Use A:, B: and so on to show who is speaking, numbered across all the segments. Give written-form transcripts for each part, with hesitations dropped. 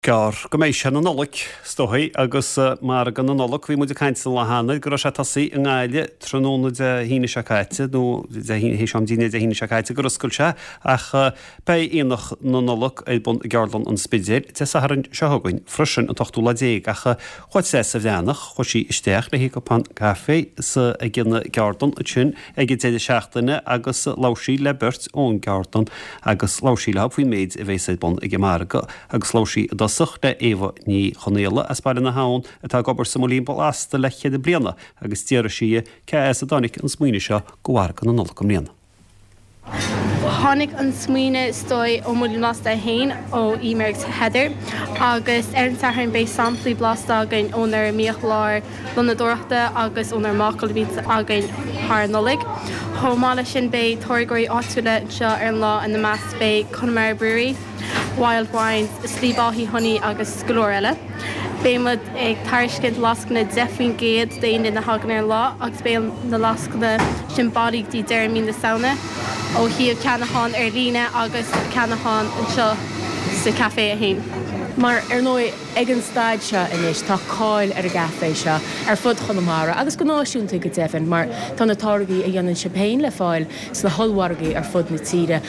A: Gearr go mbeidh sé na Nollag, is dóigh, agus margadh na Nollag, bhí muid ag caint an lá cheana go raibh sé tosaithe i nGaillimh tráthnóna Dé hAoine seo caite, nó Dé hAoine, théis am dinnéir Dé hAoine seo caite gur oscail sé, ach beidh Aonach na Nollag ar bun i gCeardlann an Spidéil Dé Sathairn seo chugainn freisin, an t-ochtú lá déag, ach chuaigh Treasa Bhreathnach, chuaigh sí isteach le haghaidh cupán caife sa ag an gceardlann ansin ag an deireadh seachtaine agus labhair sí le beirt ón gceardlann agus labhair sí leo faoin méid a bheas ar bun ag an margadh agus labhair sí i dtosach le Éabha Ní Chonaola as Baile na hAbhann atá ag obair sa Muillín Blasta le ceithre bliana agus d'fhiafraigh sí di cé as a dtáinig an smaoineamh seo go mhargadh na Nollag i mbliana.
B: Tháinig an smaoineamh is dóigh ó Muillín Blasta é féin, ó Eimear agus Heather, agus ar an Satharn beidh samplaí blasta againn ónár mbiachlár lónadóireachta agus ónár mbácáil a bhíonns againn thar an Nollaig. Chomh maith leis sin beidh táirgeoirí áitiúla anseo ar an lá, ina measc beidh Connemara Brewery, Wild Wines, Sliabh Áthaí Honey agus go leor eile. Beidh muid ag tairiscint lascaine 10% d'aon duine a thagann ar an lá agus beidh na lascaine sin bailí go dtí deireadh mí na Samhna ó thaobh ceannachán ar líne agus ceannachán anseo sa chaifé é féin.
C: Mar, ar ndóigh, ag an staid seo anois tá cáil ar an gcaifé seo ar fud Chonamara agus go náisiúnta go deimhin mar tá na táirgí a dhéanann sibh féin le fáil sna hollmhargaí ar fud na tíre.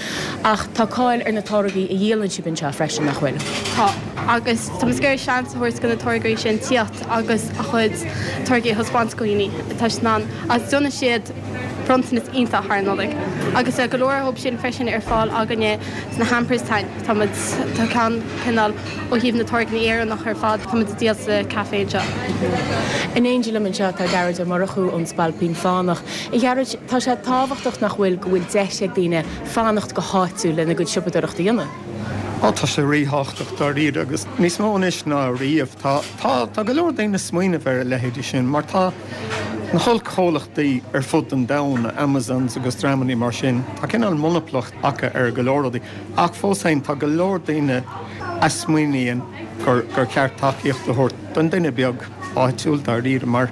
C: Ach tá cáil ar na táirgí a dhíolann sibh anseo freisin, nach bhfuil?
B: Tá, agus tá muid ag iarraidh seans a thabhairt do na táirgeoirí sin tíocht agus a chuid táirgí a thaispeáint do dhaoine. Tá siad in ann, agus déanann siad bronntanas iontach thar an Nollaig. Agus tá go leor dhóibh sin freisin ar fáil againne sna hampers atá againn. Tá muid, tá ceann cineál ó thaobh na táirgeanna Éireannach ar fad, tá muid ag díol sa caife anseo.
C: In éindí liom anseo tá Gearóid Ó Murchú ón Spailpín Fánach. A Ghearóid, tá sé tábhachtach nach bhfuil go bhfuil deis ag daoine fanacht go háitiúil lena gcuid siopadóireachta a dhéanamh.
D: Á, tá sé ríthábhachtach dáiríre agus níos mó anois ná riamh. Tá, tá, tá go leor daoine ag smaoineamh ar a leithéidí sin mar tá na hollchomhlachtaí ar fud an domhain, Amazons agus dreamannaí mar sin, tá cineál monaplacht acu ar go leor rudaí ach fós féin tá go leor daoine a smaoiníonn gur, gur cheart tacaíocht a thabhairt don duine beag. áitiúil dáiríre mar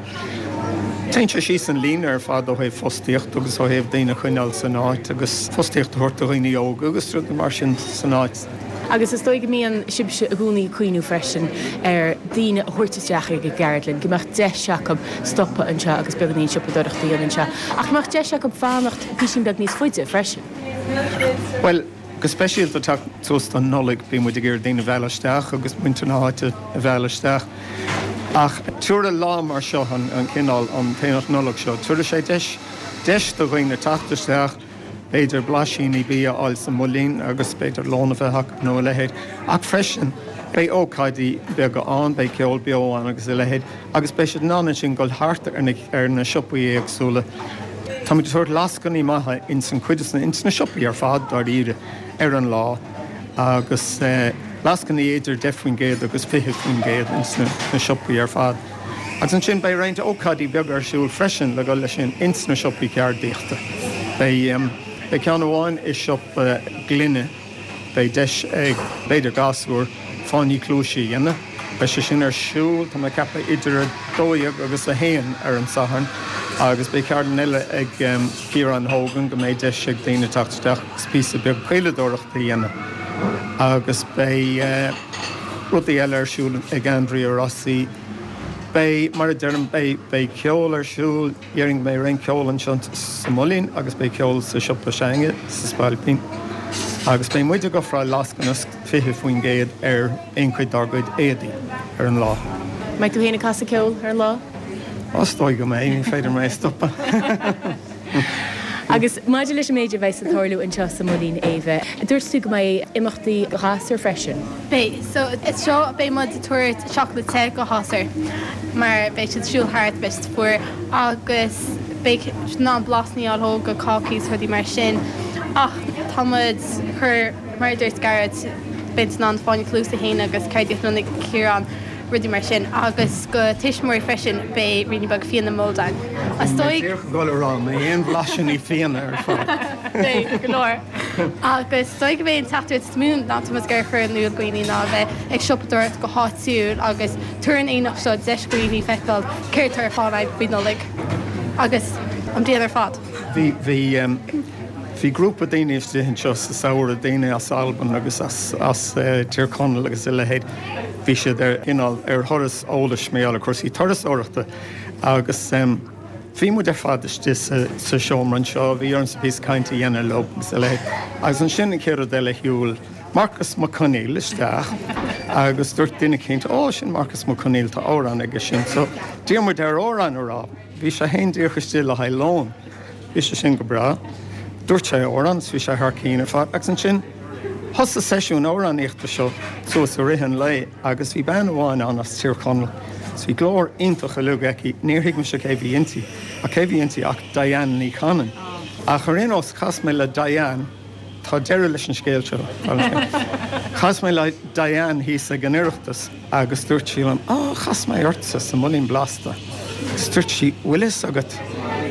D: téann sé síos an líne ar fad ó thaobh fostaíocht agus ó thaobh daoine a choinneáil san áit agus fostaíocht a thabhairt do dhaoine óga agus rudaí mar sin san áit.
C: Agus is dóigh go mbíonn sibhse i gcónaí ag cuimhniú freisin ar daoine a thabhairt isteach ag an gceardlann, go mbeadh deis acu stopadh anseo agus beagáinín siopadóireachta a dhéanamh anseo, ach go mbeadh deis acu fanacht píosín beag níos faide freisin.
D: Bhuel, Go speisialta ag teacht suas don Nollaig, bíonn muid ag iarraidh daoine a mhealladh isteach agus muintir na háite a mhealladh isteach. Ach tabharfaidh lá mar seo, an cineál, an tAonach Nollag seo, tabharfaidh sé deis, deis do dhaoine teacht isteach, b'fhéidir blaisíní bia a fháil sa Muillín agus b'fhéidir lón a bheith acu nó a leithéid. Ach freisin, beidh ócáidí beaga ann, beidh ceol beo ann agus a leithéid. Agus beidh siad in ann ansin dul thart ar na ar na siopaí éagsúla. Táimid ag tabhairt lascainí maithe ins an cuid is na ins na siopaí ar fad dáiríre ar an lá agus lascainí idir 10% agus 20% ins na na siopaí ar fad. Agus ansin beidh roinnt ócáidí beaga ar siúl freisin le dhul leis sin ins na siopaí ceardaíochta. Beidh beidh ceann amháin i siopa gloine. Beidh deis ag, b'fhéidir, gasúir fáinní cluaise a dhéanamh. Beidh sé sin ar siúl, tá mé ag ceapadh, idir 12 agus 1 ar an Satharn agus beidh ceardlann eile ag Ciarán Hogan go mbeidh deis ag daoine teacht isteach agus píosa beag caoladóireachta a dhéanamh agus beidh rudaí eile ar siúl ag Andrea Rossi. Beidh, mar a deirim, beidh ceol ar siúl. Déarfainn go mbeidh roinnt ceoil anseo sa Muillín agus beidh ceol sa siopa s'againne sa Spailpín agus beidh muid ag ofráil lascaine 20% ar aon chuid dár gcuid éadaí ar an lá.
C: Mbeidh tú féin ag casadh ceoil ar an lá?
D: Ó, is dóigh go mbeidh, ní féidir mé a stopadh.
C: Agus maidir leis an méid a bheas ag tarlú anseo sa Muillín, Éabha, dúirt tú go mbeidh imeachtaí do ghasúir freisin?
B: Beidh. So, seo, beidh muid ag tabhairt seacláid te do ghasúir mar beidh siad ag siúl thart, beidh siad fuar agus beidh siad in ann blasanna a fháil dhóibh go cácaí is rudaí mar sin. Ach tá muid ag cur, mar a dúirt Gearóid, beidh siad in ann fáinne cluasa a dhéanamh agus ceardaíocht a dhéanamh ag Ciarán. rudaí mar sin agus go tuismitheoirí freisin beidh ruainnín beag fíona mulled ann.
D: Is dóigh. Díreach ag dul a rá, an mbeidh aon bhlaisíní fíona ar fáil?
B: Beidh, go leor. Agus is dóigh go mbeidh an teachtaireacht is mó ná tá muid ag iarraidh a chur in iúl do dhaoine ná a bheith ag siopadóireacht go háitiúil agus tabhair an aonach seo deis do dhaoine feiceáil céard atá ar fáil againn faoi Nollaig agus an bhliain ar fad.
D: Bhí, bhí. Bhí grúpa daoine istigh anseo sa samhradh, daoine as Albain agus as Tír Chonaill agus a leithéid. Bhí siad ar cineál ar thuras eolais mar gheall ar cúrsaí turasóireachta agus bhí muid ar fad istigh sa seomra anseo, bhí ormsa píosa cainte a dhéanamh leo agus a leithéid. Agus ansin an chéad rud eile shiúil Marcus Mac Conghail isteach agus dúirt duine eicínt, 'Ó, sin Marcus Mac Conghail, tá amhrán aige sin. So d'iarr muid air amhrán a rá. Bhí sé féin díreach istigh le haghaidh lóin. Bhí sé sin go breá. Dúirt sé amhrán is bhí sé thar cinn ar fad. Agus ansin thosaigh seisiún amhránaíochta seo suas i rith an lae agus bhí bean amháin ann as Tír Chonaill is bhí glór iontach uilig aici. Níor thuig mise cé bhí inti ach cé bhí inti ach Diane Ní Chanainn. Ach ar aon nós chas mé le Diane. Tá deireadh leis an scéal seo. Chas mé le Diane thíos ag an Oireachtas agus dúirt sí liom, 'Á, chas mé ortsa sa mBuilín Blasta. Agus dúirt sí, 'Bhfuil fhios agat,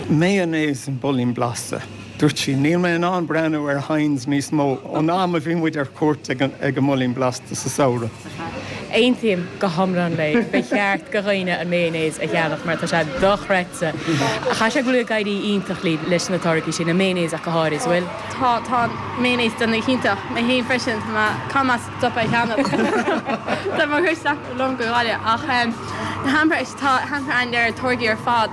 D: mayonnaise an Builín Blasta. Dúirt sí, 'Níl mé in ann breathnú ar Heinz níos mó ón am a bhí muid ar cuairt ag an mBuilín Blasta sa samhradh.
C: Aontaím go hiomlán léi. Ba cheart do dhaoine an mayonnaise a cheannach mar tá sé dochreidte. Caithfidh sé go bhfuil ag éirí iontach libh leis na táirgí sin, an mayonnaise ach go háirid, an bhfuil?
B: Tá, tá an mayonnaise ag déanamh go hiontach. Mé féin freisin, tá mé, caithfidh mé stopadh a cheannach. Tá mé ag cur isteach liom go Gaillimh ach na hampers, tá hamper ann le táirgí ar fad.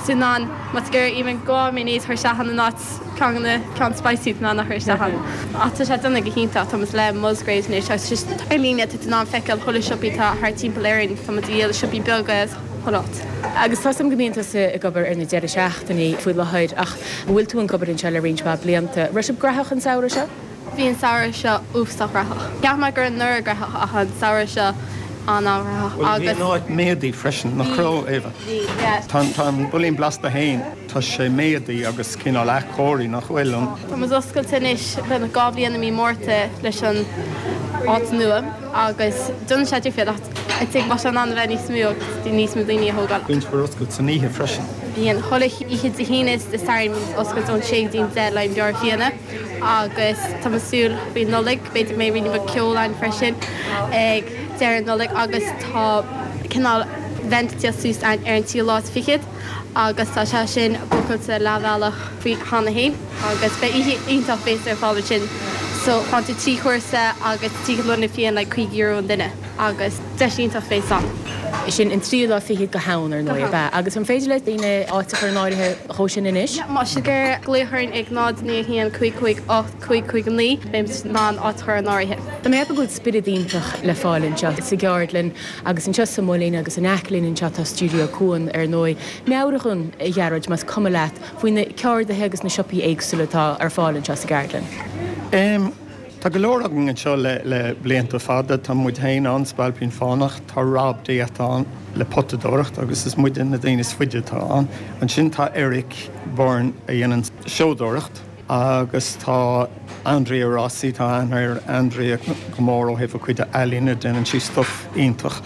B: So in ann, má tá tú ag iarraidh even dhá mayonnaise a chur isteach ann in áit ceann de na ceann spicy tá in ann a chur isteach ann. Ach tá sé ag déanamh go hiontach, tá muid le Musgraves anois agus just ar líne tá tú in ann feiceáil chuile siopaí atá thart timpeall Éirinn, tá muid ag díol i siopaí beaga is chuile áit.
C: Agus tá 's agam go mbíonn tusa ag obair ar na deireadh seachtainí faoi láthair ach an bhfuil tú ag obair anseo le roinnt mhaith blianta. Raibh sibh graitheach an samhradh seo?
B: Bhí an samhradh seo uafásach graitheach. Cheap mé go raibh anuraidh graitheach ach an samhradh seo an-an-ghraitheach
D: Bhuel bhí an áit méadaithe freisin, nach raibh, Éabha?
B: Bhí, yeah.
D: Tá an Builín Blasta féin. Tá sé méadaithe agus cineál athchóirithe, nach bhfuil? An.
B: Tá muid oscailte anois, beagnach 2 bhliain i mí Márta leis an áit nua agus déanann sé difríocht ach I think bheadh sé in ann a bheith níos mó agus níos mó daoine a thógáil.
D: Bíonn sibh ar oscailt san oíche freisin?
B: Bíonn, chuile oíche Dé hAoine is Dé Sathairn bíonn oscailt ón 6 go dtí an 10 le haghaidh beoir fíona agus tá muid ag súil faoi Nollaig, b'fhéidir go mbeidh ruainne beag ceoil ann freisin ag deireadh Nollaig agus tá cineál event ag tíocht suas ann ar an tríú lá is fichead. agus tá sé sin bookáilte leathbhealach faoi cheana féin agus beidh oíche iontach béas ar fáil ansin so faigheann tú 3 chúrsa agus 3 ghloine fíon like €50 an duine agus deis iontach bhéas ann.
C: Sin an tríú lá fichead go hann ar ndóigh, ab ea? Agus an féidir le daoine áit a chur in áirithe dhó sin anois?
B: Yeah, má tá sibh ag glaoch orainn ag 0 9 1 5 5 8 5 5 9 beidh muid in ann áit a chur in áirithe.
C: Tá mé ag ceapadh go bhfuil spiorad iontach le fáil anseo sa gceardlann Agus anseo sa mBuilín agus in aice linn anseo tá Stiúideo Cuan, ar ndóigh. Meabhraigh dhúinn, a Ghearóid, más cuma leat, faoi na ceardaithe agus na siopaí éagsúla atá ar fáil anseo sa gceardlann.
D: Em, tá go leor againn anseo le, le blianta fada. Tá muid féin ann, Spailpín Fánach, tá Rob Diet ann le potadóireacht agus is muide na daoine is faide atá ann. Ansin tá Eric Byrne a dhéanann seodóireacht. Agus tá Andrea Rossi, tá aithne ar Andrea go mór ó thaobh a cuid ealaíne, déanann sí stuif iontach.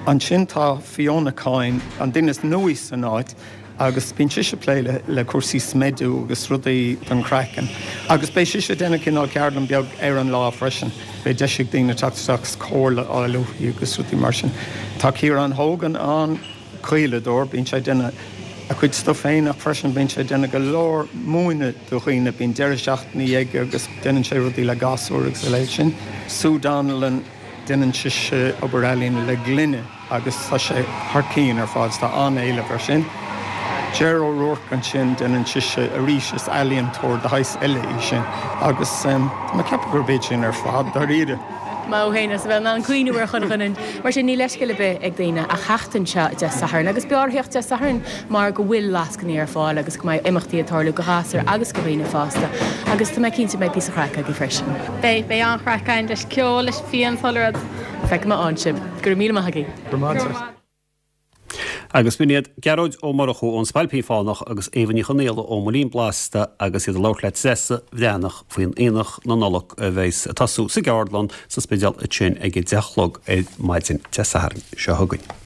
D: Ansin tá Fiona Coyne, an duine is nuaí san áit agus bíonn sise ag plé le cúrsaí smidiú agus rudaí don chraiceann. Agus beidh sise ag déanamh cineál ceardlann beag ar an lá freisin. Beidh deis ag daoine teacht isteach agus comhairle a fháil uaithi agus rudaí mar sin. Tá Ciarán Hogan ann. caoladóir, bíonn sé ag déanamh a chuid stuif féin ach freisin bíonn sé ag déanamh go leor múineadh do dhaoine, bíonn deireadh seachtainí aige agus déanann sé rudaí le gasúir agus a leithéid sin. Sue Donnellan, déanann sise obair ealaíne le gloine agus tá sé thar cinn ar fad, tá an-éileamh air sin. Ger O'Rourke ansin, déanann sise arís, is ealaíontóir de shaghas eile í sin agus tá mé ag ceapadh gurb iad sin ar fad, dáiríre.
C: Maith thú féin as a bheith in ann cuimhniú ar chuile dhuine. Mar sin, níl leithscéal ar bith ag daoine ach theacht anseo Dé Sathairn. Agus b'fhearr theacht Dé Sathairn mar go bhfuil lascainí ar fáil agus go mbeidh imeachtaí ag tarlú do ghasúir agus do dhaoine fásta. Agus tá mé cinnte go mbeidh píosa craic agaibh freisin.
B: Beidh, beidh an-chraic againn leis ceol, leis fíon, is chuile rud.
C: Feicfidh mé ann sibh. Go raibh míle maith agaibh.
D: Go raibh maith agat.
A: Agus b'in iad Gearóid Ó Murchú ón Spailpín Fánach agus Éabha Ní Chonaola ón mBuilín Blasta agus iad ag labhairt le Treasa Bhreathnach faoin Aonach na Nollag a bheas ag tosú sa gceardlann sa Spidéal ansin ag a 10 a chlog ar maidin Dé Sathairn seo chugainn.